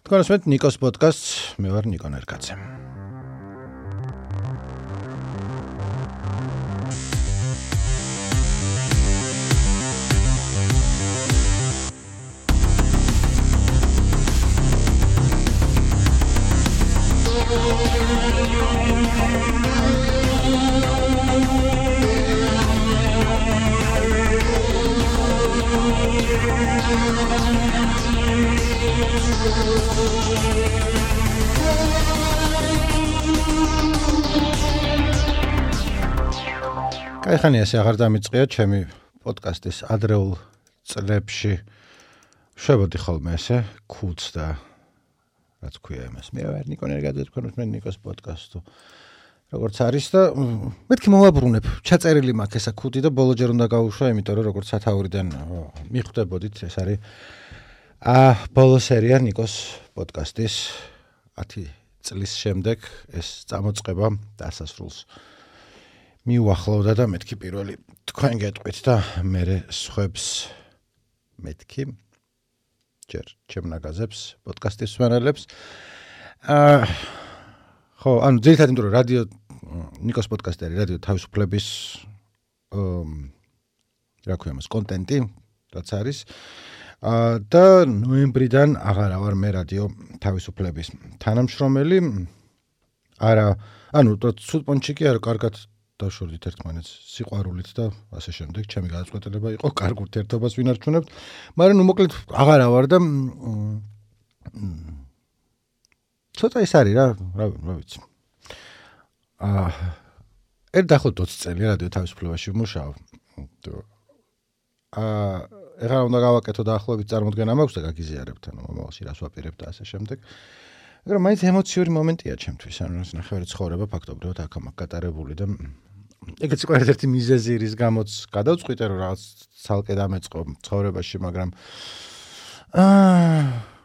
თქვენს ნიკოს პოდკასტს, მე ვარ ნიკო ნერკაძე. კაიხანი ასე აღარ დამიწყია ჩემი პოდკასტის ადრეულ წლებში შევედი ხოლმე ესე ქუდს და რაც ქვია იმას მე ვარ ნიკო ნერკაძე თქვენს მე ნიკოს პოდკასტო როგორც არის და მეთქი მოვაბრუნებ ჩაწერილი მაქვს ესა ქუდი და ბოლოჯერ უნდა გავუშვა იმიტომ რომ როგორც სათაურიდან მიხვდებოდით ეს არის ბოლო სერია ნიკოს პოდკასტის 10 წლის შემდეგ ეს წამოწყება დასასრულს მიუახლოვდა და მეთქი პირველი თქვენ გეტყვით და მე სხვებს მეთქი ჯერ ჩემ ნაგაზებს პოდკასტის მსმენელებს ხო ანუ ძირითადად იმიტომ რომ რადიო ნიკოს პოდკასტი არის რადიო თავისუფლების რა ქვია მას კონტენტი რაც არის და ნოემბრიდან აღარა ვარ მე რადიო თავისუფლების თანამშრომელი არა ანუ ცუდ პონჩი კი არა კარგად დავშორდით ერთმანეთს სიყვარულით და ასე შემდეგ ჩემი გადაწყვეტილება იყო კარგ ურთიერთობას ვინარჩუნებთ მაგრამ ნუ მოკლედ აღარა ვარ და ცოტა ის არის რა ვიცი ერთ დაახლოებით 20 წელი რადიო თავისუფლებაში ვმუშაობ ეხლა უნდა გავაკეთო დაახლოებით წარმოდგენა მაქვს და გაგიზიარებთ ანუ მომავალში რას ვაპირებ და ასე შემდეგ მაგრამ მაინც ემოციური მომენტია ჩემთვის ანუ ეს ნახევარი ცხოვრება ფაქტობრივად აქ-ამაყ გატარებული და ეგეც იყო ერთ-ერთი მიზეზი რის გამოც გადავწყვიტე რომ რაღაც ცალკე დამეწყო ცხოვრებაში მაგრამ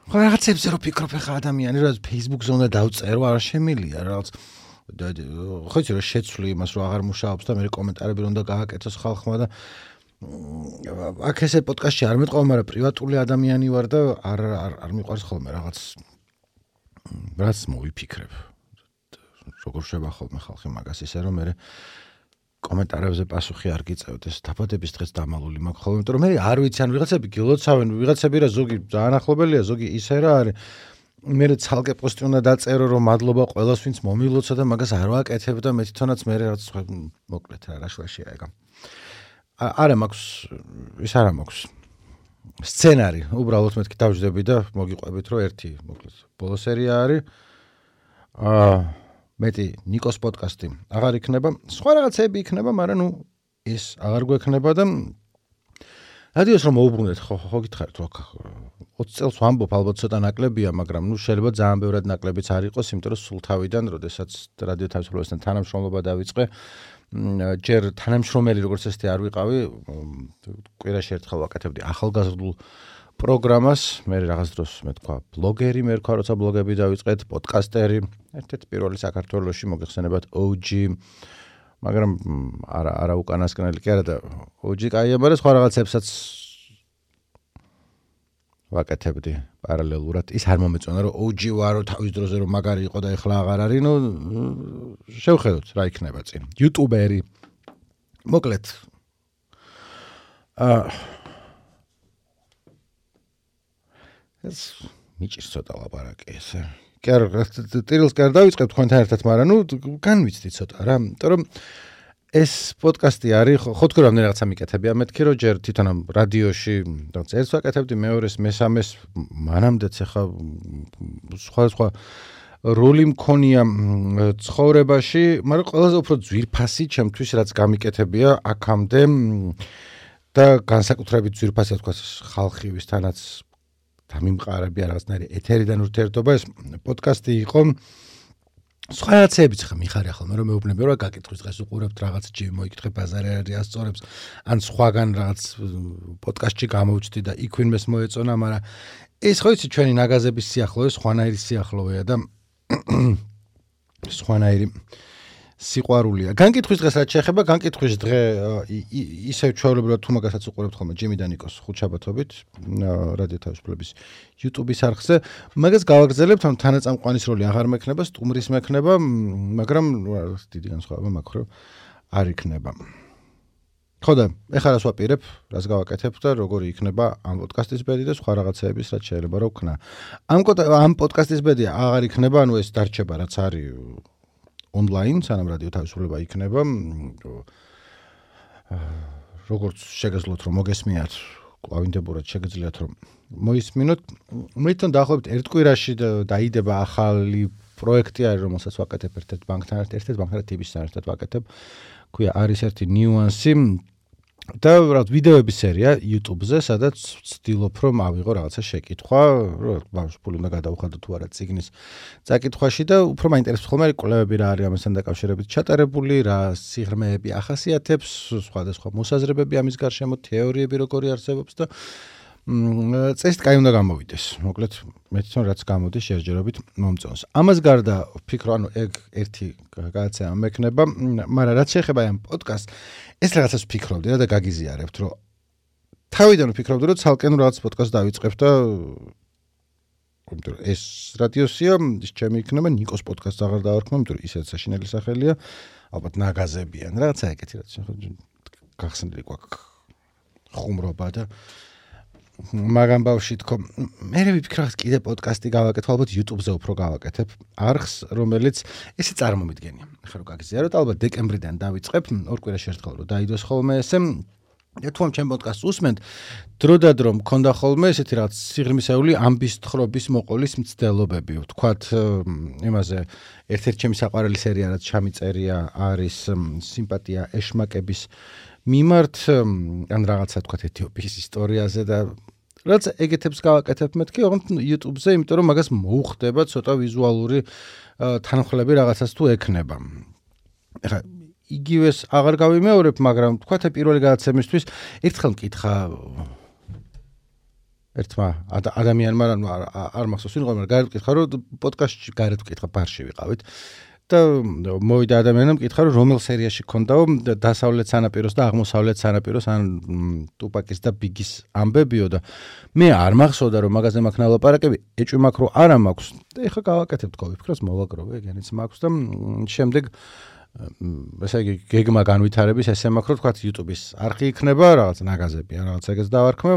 ხო რაღაცებზე რომ ფიქრობ ხა ადამიანი რაღაც Facebook-ზე უნდა დავწერო არ შემილია რაღაც ხო იცი რომ შეცვლი იმას რომ აღარ მუშაობს და მე კომენტარები უნდა გააკეთოს ხალხმა და აქ ესე პოდკასტში არ მეტყვა მაგრამ პრივატული ადამიანი ვარ და არ მიყვარს ხოლმე რაც მოვიფიქრებ როგორ შევა ხოლმე ხალხი მაგას ისე რომ მე კომენტარებზე პასუხი არ გიწევდეს დაბადების დღეს დამალული მაქვს ხოლმე იმიტომ რომ მე არ ვიცი ან ვიღაცები გილოცავენ ვიღაცები რა ზოგი ძალიან ახლობელია ზოგი ისე რა არის მე ცალკე პოსტი უნდა დაწერო რომ მადლობა ყველას ვინც მომილოცა და მაგას არ ვაკეთებ და მე თვითონაც მე რაც მოკლედ რა შვაშია ეგა არა მაქვს ის არა მაქვს სცენარი უბრალოდ მეთქი დავждები და მოგიყვებით რომ ერთი მოკლედ ბოლო სერია არის მეტი ნიკოს პოდკასტი აღარ იქნება სხვა რაღაცები იქნება მაგრამ ნუ ეს აღარ გვექნება და რადიოს რომ მოუბრუნდეთ ხო გითხარით რომ 20 წელს ვამბობ ალბათ ცოტა ნაკლებია მაგრამ ნუ შეიძლება ძალიან ბევრად ნაკლებიც არ იყოს იმიტომ რომ სულ თავიდან როდესაც რადიო თავისუფლებასთან თანამშრომლობა დავიწყე ჯერ თანამშრომელი როგორც ესეთი არ ვიყავი კვირაში ერთხელ ვაკეთებდი ახალგაზრდულ პროგრამას მე რაღაც დროს მე თქვა ბლოგერი მე ვქვა როცა ბლოგები დავიწყეთ პოდკასტერი ერთ-ერთი პირველი საქართველოში მოგეხსენებათ OG მაგრამ არა უკანასკნელი კი არა და OG კაია მაგრამ სხვა რაღაცებსაც ვაკეთებდი პარალელურად ის არ მომეწონა რომ OG ვარო თავის დროზე რომ მაგარი იყო და ეხლა აღარ არის ნუ შევხედოთ რა იქნება წინ იუტუბერი მოკლედ ეს მიჭირს ცოტა ლაპარაკი ესე კი არა ტირილს კი არ დავიწყებ თქვენთან ერთად მაგრამ ნუ განვიცდი ცოტა რა იმიტომ რომ ეს პოდკასტი არის ხო თქვენ რამდენი რაღაცა მიკეთებია მეთქი რომ ჯერ თვითონ ამ რადიოში რაღაც ერთს ვაკეთებდი მეორეს მესამეს მანამდეც ახლა სხვა როლი მქონია ცხოვრებაში მაგრამ ყველაზე უფრო ძვირფასი ჩემთვის რაც გამიკეთებია აქამდე და განსაკუთრებით ძვირფასი თქვა ხალხი ვისთანაც დამიმყარებია რაღაცნაირი ეთერიდან ურთიერთობა ეს პოდკასტი იყო სხვა რაღაცებიც ხა მიხარია ხოლმე რომ მეუბნები რომ გაკითხვის დღეს უყურებთ რაღაც ჯიმ მოიკითხე ბაზარი არის ასწორებს ან სხვაგან რაღაც პოდკასტში გამოვჩდი და იქ ვინმეს მოეწონა მაგრამ ეს ხო იცი ჩვენი ნაგაზების სიახლოვე სხვანაირი სიახლოვეა და სხვანაირი სიყვარულია. განკითხვის დღეს რაც შეეხება, განკითხვის დღე ისევ ჩვეულებრივად თუ მაგასაც უყურებთ ხოლმე ჯიმი და ნიკოს ხუთშაბათობით რადიო თავისუფლების YouTube-ის არხზე. მაგას გავაგრძელებთ, რომ თანაწამყვანის როლი აღარ მექნება, სტუმრის მექნება, მაგრამ დიდი განსხვავება მაქვს, რომ არ იქნება. ხო და ეხლა რას ვაპირებ, რას გავაკეთებ და როგორი იქნება ამ პოდკასტის ბედი და სხვა რაღაცეების რაც შეიძლება რა ვქნა. ამ პოდკასტის ბედი აღარ იქნება, ანუ ეს დარჩება რაც არის ონლაინ, სანამ რადიო თავისუფლება იქნება. როგორც შეგეძლოთ რომ მოგესმიათ, კლავინდებურად შეგეძლიათ რომ მოისმინოთ. მე თვითონ დაახლოებით ერთ კვირაში დაიდება ახალი პროექტი არის, რომელსაც ვაკეთებ ერთ-ერთ ბანკთან ერთად TB-სთან ერთად ვაკეთებ. ქვია არის ერთი ნიუანსი და რაღაც ვიდეოების სერია YouTube-ზე, სადაც ვცდილობ რომ ავიღო რაღაცა შეკითხვა, რომ ბავშვი ფული უნდა გადაუხადო თუ არა ციგნის წაკითხვაში და უფრო მაინტერესებს ხოლმე კვლევები რა არის ამასთან დაკავშირებით ჩატარებული, რა სიღრმეები ახასიათებს, სხვადასხვა მოსაზრებები ამის გარშემო, თეორიები როგორი არსებობს და წესით კაი უნდა გამოვიდეს. მოკლედ, მე თვითონ რაც გამოდის შეერჯერობით მომწონს. ამას გარდა ვფიქრობ, ანუ ეგ ერთი გადაცემა მექნება, მაგრამ რაც შეეხება ამ პოდკასტს, ეს რაღაცას ვფიქრობდი და გაგიზიარებთ, რომ თავიდან ვფიქრობდი, რომ ცალკე რაღაც პოდკასტს დავიწყებ და ეს რადიოსია, ის ჩემი იქნება, ნიკოს პოდკასტს აღარ დავარქმევ, იმიტომ რომ ისეც საშინელი სახელია, ალბათ ნაგაზებიან, რაღაცა ეგეთი რაც გახსნილი გვაქვს ხუმრობა და მაგამ ბავში თქო, მე ვიფიქრე კიდე პოდკასტი გავაკეთებ, ალბათ YouTube-ზე უფრო გავაკეთებ არხს, რომელიც ესე წარმომიდგენია. ახლა რო გაგიზიაროთ, ალბათ დეკემბრიდან დავიწყებ, ორ კვირაში ერთხელ რო დაიდოს ხოლმე ესე. თუ ამ ჩემ პოდკასტს უსმენთ, დროდადრო მქონდა ხოლმე ესეთი რაღაც სიღრმისეული ამბის თხრობის მოყოლის მცდელობები. ვთქვათ, იმაზე ერთ-ერთი ჩემი საყვარელი სერია რაც ჩამიწერია არის სიმპათია ეშმაკების მიმართ, ან რაღაცა თქვათ ეთიოპიის ისტორიაზე და რაც ეგეთებს გავაკეთებ მეთქი, ოღონდ YouTube-ზე, იმიტომ რომ მაგას მოუხდება ცოტა ვიზუალური თანხლები რაღაცას თუ ექნება. ეხლა იგივეს აღარ გავიმეორებ, მაგრამ თქვათ პირველი გადაცემისთვის ერთხელ მკითხა ერთმა ადამიანმა არ მახსოვს ვინ იყო, მაგრამ გარეთ მკითხა, რომ პოდკასტში გარეთ მკითხა ბარში ვიყავით. და მოვიდა ადამიანმა მკითხა, რომ რომელ სერიაში ქონდაო დასავლეთ სანაპიროს და აღმოსავლეთ სანაპიროს ან ტუპაკის და ბიგის ამბებიო და მე არ მახსოვდა რომ მაგაზე მაქვს ნალაპარაკები, ეჭვი მაქვს რომ არა მაქვს და ეხლა გავაკეთებ თქო, ვიფიქროს მოვაგროვე, ეგენიც მაქვს და შემდეგ ესე იგი გეგმა განვითარების ესე მაქვს რომ თქვათ YouTube-ის არხი იქნება, რაღაც ნაგაზები ან რაღაც ეგეც დავარქმევ,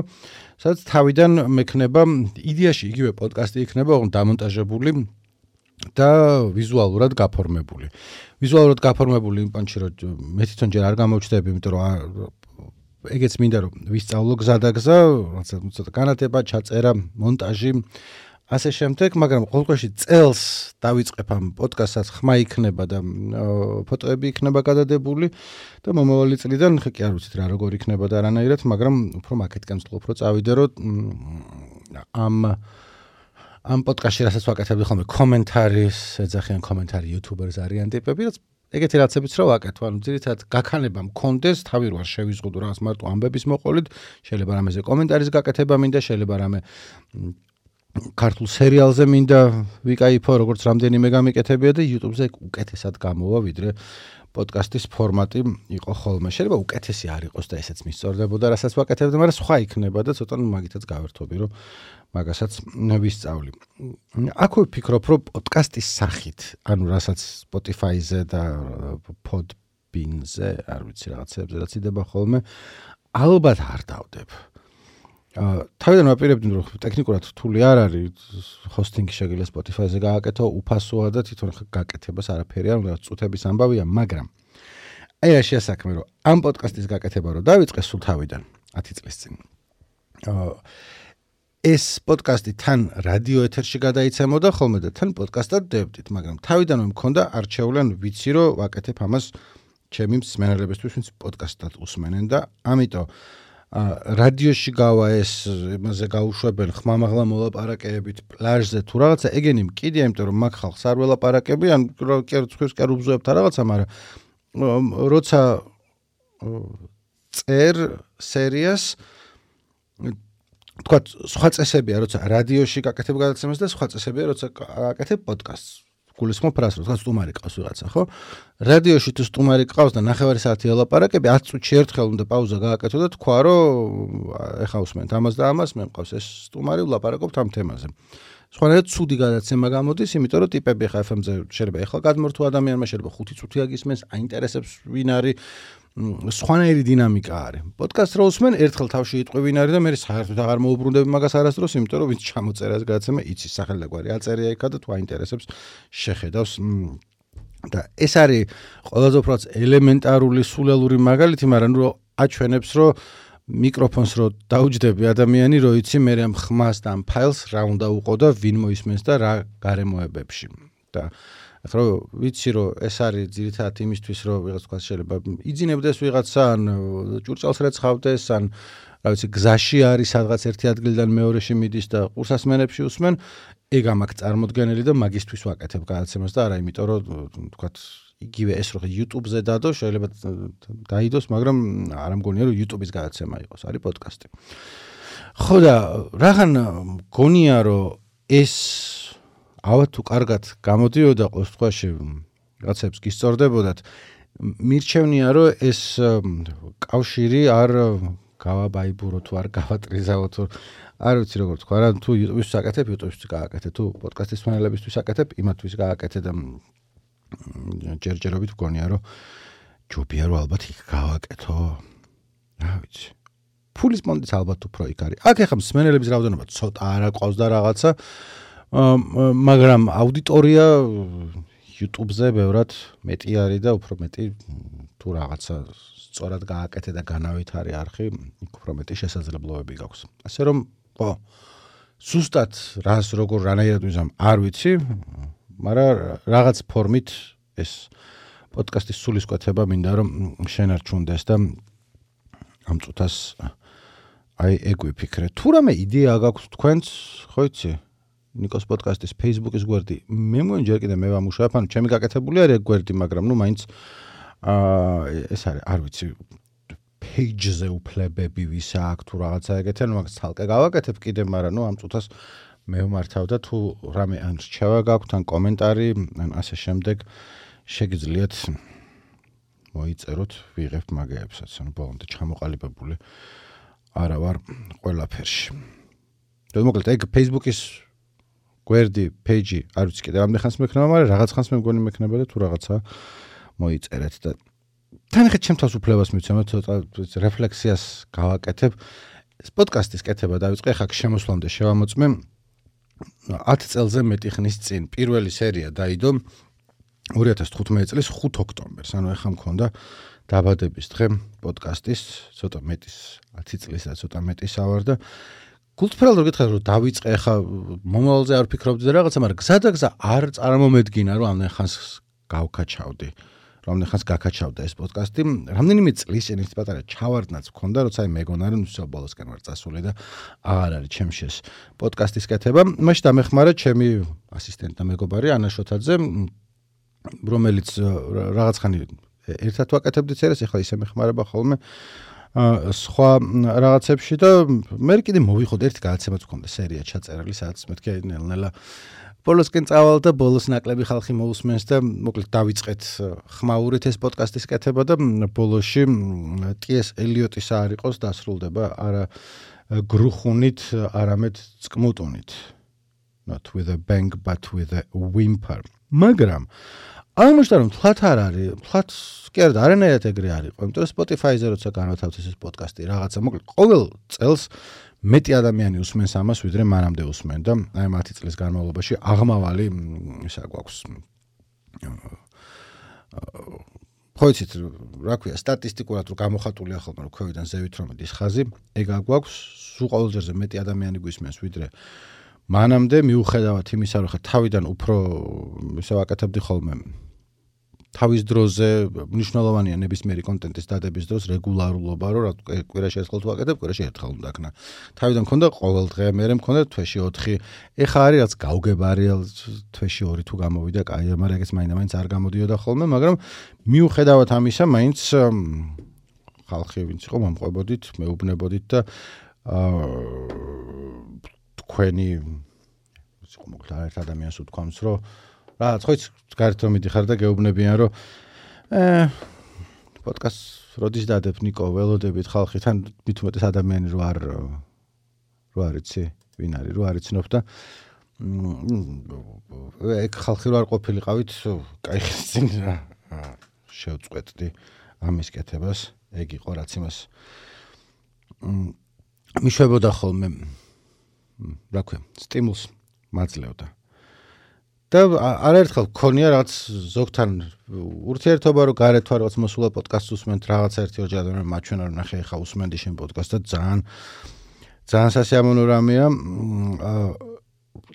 სადაც თავიდან მექნება იდეაში იგივე პოდკასტი იქნება, ოღონდ დამონტაჟებული და ვიზუალურად გაფორმებული. ვიზუალურად გაფორმებული იმ პანჩი რომ მე თვითონ ჯერ არ გამოვჩდები, იმიტომ რომ ეგეც მინდა რომ ვისწავლო გზადაგზა, ცოტა განათება, ჩაწერა, მონტაჟი, ასე შემდეგ, მაგრამ ყოველგვარში წელს დავიწყებ ამ პოდკასტსაც, ხმა იქნება და ფოტოები იქნება გადადებული და მომავალი წლიდან კი არ ვიცით რა როგორ იქნება და არანაირად, მაგრამ უფრო მაკეთკენ ვცდილობ რომ წავიდე რომ ამ პოდკასტში რასაც ვაკეთებდი ხოლმე კომენტარის, ეძახიან კომენტარი იუთუბერს არიან ტიპები, რაც ეგეთი რაღაცებიც რა ვაკეთო, ანუ ძირითადად გაქანება მქონდეს, თავი რო არ შევიზღუდო რაღაც მარტო ამბების მოყოლით, შეიძლება რამეზე კომენტარის გაკეთება მინდა, შეიძლება რამე ქართულ სერიალზე მინდა ვიკაიფო, როგორც რამდენიმე გამიკეთებია და YouTube-ზე უკეთესად გამოვა, ვიდრე პოდკასტის ფორმატი იყო ხოლმე. შეიძლება უკეთესი არ იყოს და ესეც მისწორდებოდა, რასაც ვაკეთებდი, მაგრამ სხვა იქნება და ცოტა მაგითაც გავერთობი, რომ მაგასაც ვისწავლი. აქვე ვფიქრობ, რომ პოდკასტის სახით, ანუ რასაც Spotify-ზე და Podbean-ზე, არ ვიცი რაღაცებზე რაც იდება ხოლმე, ალბათ არ დავდებ. თავიდან ვაპირებდი, რომ ტექნიკურად რთული არ არის, ჰოსტინგი შეგიძლია Spotify-ზე გააკეთო, უფასოა და თვითონ გაკეთებას არაფერი არ უნდა, წუთების ამბავია, მაგრამ აი რა შეასაქმე, რომ ამ პოდკასტის გაკეთება რომ დავიწყე სულ თავიდან 10 წლის წინ. ეს პოდკასტი თან რადიო ეთერში გადაიცემოდა ხოლმე და თან პოდკასტად დევდით, მაგრამ თავიდანვე მქონდა არჩეული, ანუ ვიცი რომ ვაკეთებ ამას ჩემი მსმენელებისთვის, ვინც პოდკასტად უსმენენ და ამიტომ რადიოში გავა ეს იმაზე გაუშვებენ ხმამაღლა მოლაპარაკებებით პლაჟზე თუ რაღაცა ეგენი მკიდია, იმიტომ რომ მაგ ხალხს არ ველაპარაკები, ან კერცხებს კი არ უბზოებთ რაღაცა, მაგრამ როცა წერ სერიას თქვათ სხვა წესებია, როცა რადიოში გაკეთებ გადაცემას და სხვა წესებია, როცა გაკეთებ პოდკასტს. გულისხმობ ფრას, რომ სტუმარი ყავს ვიღაცა, ხო? რადიოში თუ სტუმარი ყავს და 9 საათი ელაპარაკები, 10 წუთში ერთხელ უნდა პაუზა გააკეთო და თქვა, რომ ეხა უსმენთ ამას და ამას, მე მყავს ეს სტუმარი, ვლაპარაკობთ ამ თემაზე. სხვანაირად ცუდი გადაცემა გამოდის, იმიტომ რომ ტიპები ხა FM-ზე შეიძლება ეხლა გადმორთვა ადამიანმა, შეიძლება 5 წუთი აგისმენს, აინტერესებს ვინ არის, სხვანაირი დინამიკა არის. პოდკასტს რო უსმენ, ერთხელ თავში იტყვი ვინ არის და მე საერთოდ აღარ მოუბრუნდები მაგას არასდროს, იმიტომ რომ ვინც ჩამოწერა ეს გადაცემა, იცის სახელი და გვარი აწერია იქა და თუ აინტერესებს, შეხედავს. და ეს არის ყველაზე უფრო ელემენტარული სულელური მაგალითი, მაგრამ რო აჩვენებს, რომ მიკროფონს რო დაუჯდები ადამიანი, რო იცი მე ამ ხმას და ამ ფაილს რა უნდა უყო და ვინ მოისმენს და რა გარემოებებში. და ახლა ვიცი რომ ეს არის ძირითადად იმისთვის რომ ვიღაც თქვა შეიძლება იძინებდეს ვიღაცა ან ჭურჭელს რეცხავდეს ან რა ვიცი გზაში არის სადღაც ერთი ადგილიდან მეორეში მიდის და ყურსასმენებში უსმენ ეგ ამაკ წარმოდგენელი და მაგისთვის ვაკეთებ გადაცემას და არა იმიტომ რომ თქვა იგივე ეს რო YouTube-ზე დადო შეიძლება დაიდოს მაგრამ არ მგონია რომ YouTube-ის გადაცემა იყოს არის პოდკასტი ხო და რაღან მგონია რომ ეს ავა თუ კარგად გამოდიოდა ყოველ შემთხვევაში რაღაცებს გისწორდებოდათ მირჩევნია რომ ეს კავშირი არ გავაბაიბურო თუ არ გავატრიზავო თუ არ ვიცი როგორ თქვა რა თუ YouTube-ისთვის აკეთებ YouTube-ისთვის გააკეთე თუ პოდკასტის ფანელებისთვის აკეთებ იმათთვის გააკეთე და ჯერჯერობით მგონია რომ ჯობია რომ ალბათ იქ გავაკეთო რა ვიცი ფულის მონდის ალბათ უფრო იქ არის აქ ეხლა მსმენელების რაოდენობა ცოტა არა ყავს და რაღაცა მაგრამ აუდიტორია YouTube-ზე ბევრად მეტი არის და უფრო მეტი თუ რაღაცა სწორად გააკეთე და განავითარე არხი, იქ უფრო მეტი შესაძლებლობები გაქვს. ასე რომ, ხო, ზუსტად რას როგორ რანაირად ვიზამ არ ვიცი, მაგრამ რაღაც ფორმით ეს პოდკასტის სულისკვეთება მინდა რომ შენარჩუნდეს და ამ წუთას აი ეგ ვიფიქრე. თუ რამე იდეა გაქვს თქვენც, ხო იცი? ნიკოს პოდკასტის Facebook-ის გვერდი. მე მგონი ჯერ კიდე მე ვამუშავებ, ანუ ჩემი გაკეთებული არის ეგ გვერდი, მაგრამ ნუ მაინც ეს არის, არ ვიცი, page-ზე უფლებები ვის აქვს თუ რაღაცა ეგეთი, ანუ მაგას ცალკე გავაკეთებ კიდე, მაგრამ ნუ ამ წუთას მე ვმართავ და თუ რამე ან რჩევა გაქვთ, ან კომენტარი, ან ასე შემდეგ, შეგიძლიათ მოიწეროთ, ვიღებთ მაგეებსაც, ანუ ბოლომდე ჩამოყალიბებული არა ვარ ყველაფერში. და მოკლედ ეგ Facebook-ის გვერდი, page-ი, არ ვიცი კიდე რამდენი ხანს მექნება, მაგრამ რაღაც ხანს მე მგონი მექნება და თუ რაღაცა მოიწერეთ და თანახეთ ჩემთვის უფლებას მიცემთ ცოტა რეფლექსიას გავაკეთებ. ეს პოდკასტის კეთება დავიწყე ხა შემოსვლამდე შევამოწმე 10 წელზე მეტი ხნის წინ. პირველი სერია დაიდო 2015 წლის 5 ოქტომბერს. ანუ ეხა მქონდა დაბადების დღე პოდკასტის, ცოტა მეტის 10 წლის და ცოტა მეტის ავარ და გულწრფელად რო გითხრათ რომ დავიწყე ხა მომავალზე არ ვფიქრობდი და რაღაცა, მაგრამ გზადაგზა არ წარმომედგინა რომ ამდენ ხანს გავკაჩავდი. რამდენი ხანს გაკაჩავდა ეს პოდკასტი. რამდენიმე წლის წინ ერთი პატარა ჩავარდნაც მქონდა, როცა მეგონა რომ სულ ბოლოსკენ ვარ წასული და აღარ არის ჩემში ეს პოდკასტის კეთება. მაშინ დამეხმარა ჩემი ასისტენტი და მეგობარი ანა შოთაძე, რომელიც რაღაც ხანი ერთად ვაკეთებდით წერას, ეხლა ისე მეხმარება ხოლმე სხვა რაღაცებში და მე კიდე მოვიხოთ ერთი გადაცემაც მქონდა სერია ჩაწერილი, სადაც მეთქე ნელ-ნელა ბოლოსკენ წავალ და ბოლოს ნაკლები ხალხი მოусმენს და მოკლედ დავიწყეთ ხმაურით ეს პოდკასტის კეთება და ბოლოში T.S. ელიოტის არ იყოს დასრულდება არა გრუხუნით, არამედ წკმუტუნით. Not with a bang but with a whimper. მაგრამ აღმოჩნდა რომ თლათ არ არის, თლათ კი არა არანაირად ეგრე არ იყო, იმიტომ რომ Spotify-ზე როცა განვათავთ ეს პოდკასტი რაღაცა მოკლედ ყოველ წელს მეტი ადამიანი უსმენს ამას, ვიდრე მანამდე უსმენდა. აი 10 წლის განმავლობაში აღმავალი ისა გვაქვს. ხო იცით, რა ქვია, სტატისტიკურად რო გამოხატულია ხოლმე რომ ქვევიდან ზევით რომ ის ხაზი, ეგ აგვაქვს, სულ ყოველჯერზე მეტი ადამიანი გვისმენს, ვიდრე მანამდე მიუხედავად იმისა, რომ ხა თავიდან უფრო ისე ვაკეთებდი ხოლმე თავის დროზე მნიშვნელოვანია ნებისმიერი კონტენტის დადების დროს რეგულარულობა, რომ რა კვირაში ერთხელ თუ ვაკეთებ, კვირაში ერთხელ უნდა აქნა. თავიდან მქონდა ყოველ დღე, მერე მქონდა თვეში 4. ეხა არის რაც გავგებარი, თვეში 2 თუ გამოვიდა, კაია, მაგრამ ეგეც მაინც არ გამოდიოდა ხოლმე, მაგრამ მიუხედავად ამისა, მაინც ხალხი ვინც იყო მომყვებოდით, მეუბნებოდით და თქვენი მოკლედ ერთ ადამიანს უთქვამს, რომ რაღაც ხო გარეთ რომ მიდიხარ და გეუბნებიან რომ პოდკასტს როდის დადებ ნიკო ველოდებით ხალხი თან მით უმეტეს ადამიანი რო არ იცი ვინ არის რო არ იცნობ და ეგ ხალხი რო არ ყოფილიყავით кайხის წინ შევწყვეტდი ამის კეთებას ეგ იყო რაც იმას მიშვებოდა ხოლმე რა ქვია სტიმულს მაძლევდა და არაერთხელ გქონია რაღაც ზოგთან ურთიერთობა რომ გარეთ ვარ რაღაც მოსულა პოდკასტს უსმენთ რაღაც ერთი ორი ადამიანი მაჩვენა რომ ნახე ხა უსმენდი შენ პოდკასტს და ძალიან სასიამოვნო რამეა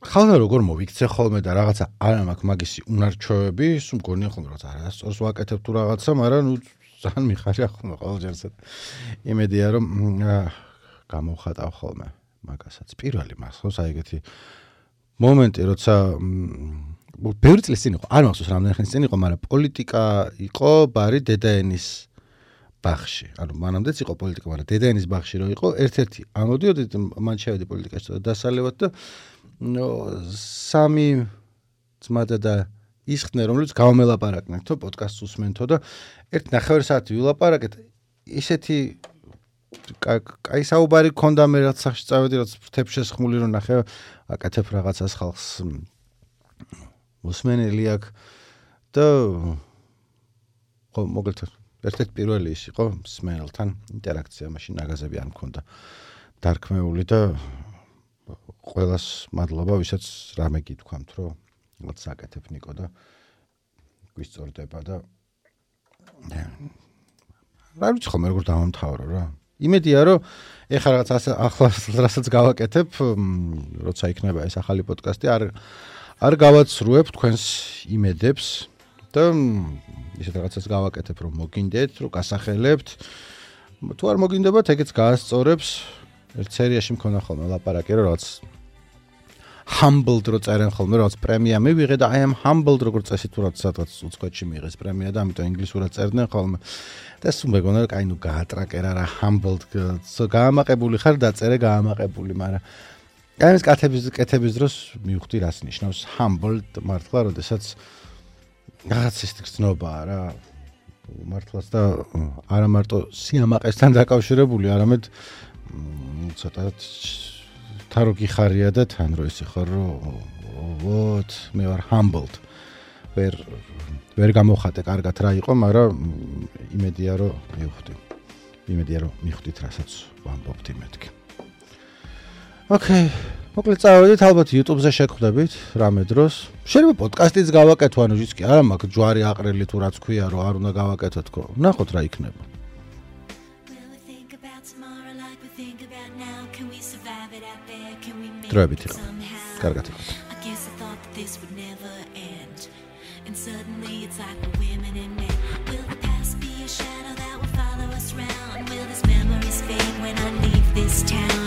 ხალხი როგორ მოვიქცე ხოლმე და რაღაცა არა მაქვს მაგისი უნარჩვევები სულ მგონია ხოლმე რაღაც არასწორს ვაკეთებ თუ რაღაცა მაგრამ ნუ ძალიან მიხარია ხოლმე ყოველჯერს იმედია რომ გამოვხატავ ხოლმე მაგასაც პირველი მახსოვს აი ეგეთი მომენტი როცა ბევრი წლის წინ იყო არ მახსოვს რამდენი ხნის წინ იყო მაგრამ პოლიტიკა იყო ბარი დედაენის ბაღში ანუ მანამდეც იყო პოლიტიკა მაგრამ დედაენის ბაღში რო იყო ერთ-ერთი ამოდიოდით მან შევედი პოლიტიკაში და დასალევად და სამი ძმადა და ისხდნენ რომელიც გავამელაპარაკნეთო პოდკასტს უსმენთო და ერთ ნახევარ საათი ვილაპარაკეთ ისეთი კაი საუბარი ქონდა მე რაც სახში წავედი რაც ფრთებშესხმული რომ ნახე აკეთებ რაღაცას ხალხს მოსმენელი აქვს და ხო მოგეთ ერთ-ერთი პირველი ის იყო მსმენელთან ინტერაქცია მაშინ ნაგაზები არ მქონდა დარქმეული და ყველას მადლობა ვისაც რამე გითქვამთ რომ რაღაც აკეთებ ნიკო და გვისწორდება და რა ვიცი ხომ როგორ დავამთავრო რა იმედია რომ ეხლა რაღაც ახლა რასაც გავაკეთებ როცა იქნება ეს ახალი პოდკასტი არ გავაცრუებ თქვენს იმედებს და ისეთ რაღაცას გავაკეთებ რომ მოგინდეთ რომ გასახელებთ თუ არ მოგინდებათ ეგეც გაასწორებს ერთ სერიაში მქონდა ხოლმე ლაპარაკი რომ რაღაც humbled რო წერენ ხოლმე რაღაც პრემია მივიღე და I am humbled როგორ წესი თუ რაღაც სადღაც უცხოეთში მიიღეს პრემია და ამიტომ ინგლისურად წერდნენ ხოლმე და სულ მეგონა რომ კაი ნუ გაატრაკერა რა humbled გაამაყებული ხარ დაწერე გაამაყებული მაგრამ ამის კეთების დროს მივხვდი რას ნიშნავს humbled მართლა როდესაც რაღაც ის გრძნობაა რა მართლაც და არა მარტო სიამაყესთან დაკავშირებული არამედ ცოტათ თარო გიხარია და თან რო ისე ხარ რომ ვოთ მე ვარ humbled ვერ გამოხატე კარგად რა იყო მაგრამ იმედია რომ მივხვდით რასაც ვამბობთ იმეთქი ოკეი მოკლედ წავედით ალბათ YouTube-ზე შეგხვდებით რამე დროს შეიძლება პოდკასტიც გავაკეთო ანუ ის კი არა მაქვს ჯვარი აყრელი თუ რაც ქვია რომ არ უნდა გავაკეთო თქო ნახოთ რა იქნება დროებით იყო კარგად იყო And suddenly it's like we're women and men. Will the past be a shadow that will follow us round? Will this memories fade when I leave this town?